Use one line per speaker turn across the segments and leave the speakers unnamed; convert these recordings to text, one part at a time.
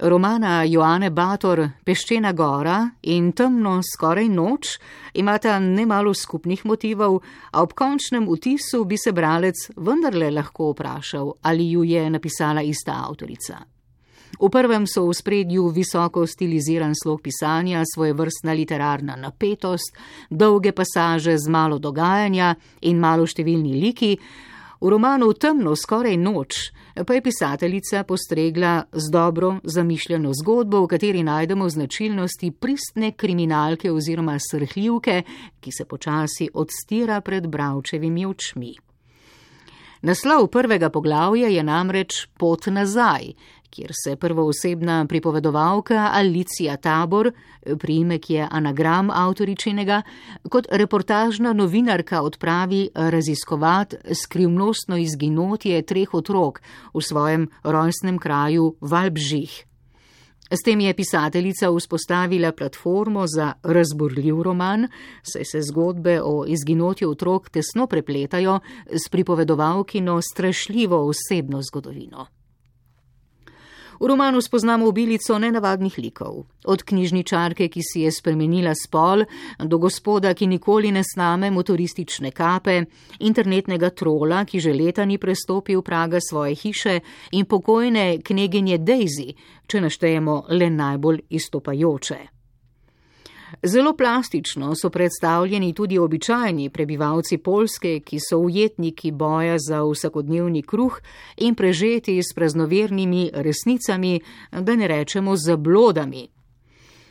Romana Joane Bator Peščena gora in Temno skoraj noč imata nemalo skupnih motivov, a ob končnem vtisu bi se bralec vendarle lahko vprašal, ali ju je napisala ista avtorica. V prvem so v spredju visoko stiliziran slog pisanja, svojevrstna literarna napetost, dolge pasaže z malo dogajanja in malo številni liki. V romanu Temno skoraj noč pa je pisateljica postregla z dobro zamišljeno zgodbo, v kateri najdemo značilnosti pristne kriminalke oziroma srhljivke, ki se počasi odstira pred bralčevimi očmi. Naslov prvega poglavja je namreč Pot nazaj, kjer se prvoosebna pripovedovalka Alicija Tabor, priimek je anagram avtoričinega, kot reportažna novinarka odpravi raziskovat skrivnostno izginotje 3 otrok v svojem rojstnem kraju Valbžih. S tem je pisateljica vzpostavila platformo za razburljiv roman, saj se zgodbe o izginotju otrok tesno prepletajo s pripovedovalkino strašljivo osebno zgodovino. V romanu spoznamo obilico nenavadnih likov, od knjižničarke, ki si je spremenila spol, do gospoda, ki nikoli ne sname motoristične kape, internetnega trola, ki že leta ni prestopil praga svoje hiše, in pokojne kneginje Daisy, če naštejemo le najbolj izstopajoče. Zelo plastično so predstavljeni tudi običajni prebivalci Poljske, ki so ujetniki boja za vsakodnevni kruh in prežeti s praznovernimi resnicami, da ne rečemo zablodami.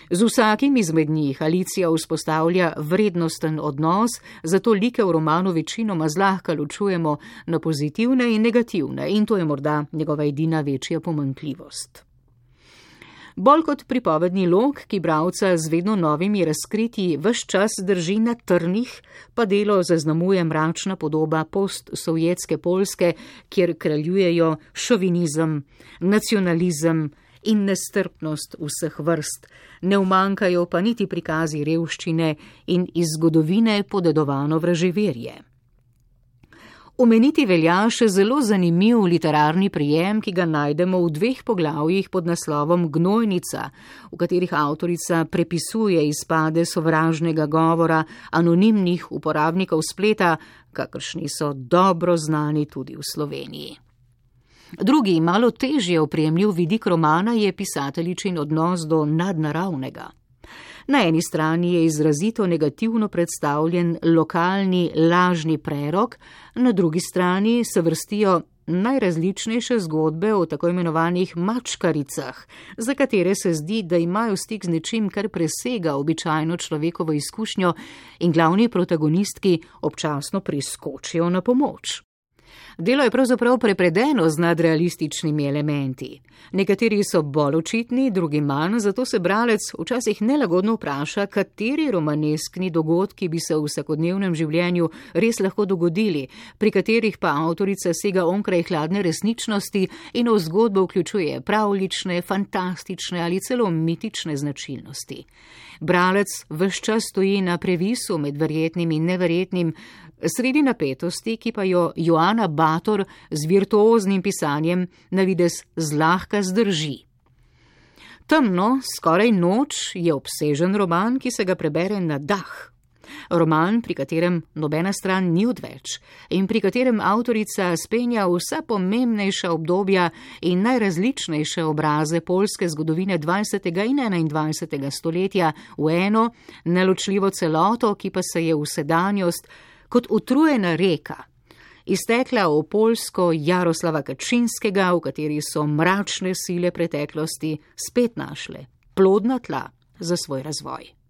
Z vsakim izmed njih Alicija vzpostavlja vrednosten odnos, zato like v romanu večinoma zlahka ločujemo na pozitivne in negativne, in to je morda njegova edina večja pomanjkljivost. Bolj kot pripovedni lok, ki bralca z vedno novimi razkritji ves čas drži na trnih, pa delo zaznamuje mračna podoba postsovjetske Poljske, kjer kraljujejo šovinizem, nacionalizem in nestrpnost vseh vrst, ne umanjkajo pa niti prikazi revščine in iz zgodovine podedovano vraževerje. Omeniti velja še zelo zanimiv literarni prijem, ki ga najdemo v 2 poglavjih pod naslovom Gnojnica, v katerih avtorica prepisuje izpade sovražnega govora anonimnih uporabnikov spleta, kakršni so dobro znani tudi v Sloveniji. Drugi, malo težje oprijemljiv vidik romana je pisateljičin odnos do nadnaravnega. Na eni strani je izrazito negativno predstavljen lokalni lažni prerok, na drugi strani se vrstijo najrazličnejše zgodbe o tako imenovanih mačkaricah, za katere se zdi, da imajo stik z nečim, kar presega običajno človekovo izkušnjo, in glavni protagonistki občasno priskočijo na pomoč. Delo je pravzaprav prepredeno z nadrealističnimi elementi. Nekateri so bolj očitni, drugi manj, zato se bralec včasih nelagodno vpraša, kateri romaneskni dogodki bi se v vsakodnevnem življenju res lahko dogodili, pri katerih pa avtorica sega onkraj hladne resničnosti in v zgodbo vključuje pravljične, fantastične ali celo mitične značilnosti. Bralec ves čas stoji na previsu med verjetnim in neverjetnim, sredi napetosti, ki pa jo Joana Bator z virtuoznim pisanjem navidez zlahka zdrži. Temno skoraj noč je obsežen roman, ki se ga prebere na dah. Roman, pri katerem nobena stran ni odveč in pri katerem avtorica spenja vsa pomembnejša obdobja in najrazličnejše obraze poljske zgodovine 20. in 21. stoletja v eno neločljivo celoto, ki pa se je v sedanjost kot utrujena reka iztekla v Poljsko Jaroslava Kačinskega, v kateri so mračne sile preteklosti spet našle plodna tla za svoj razvoj.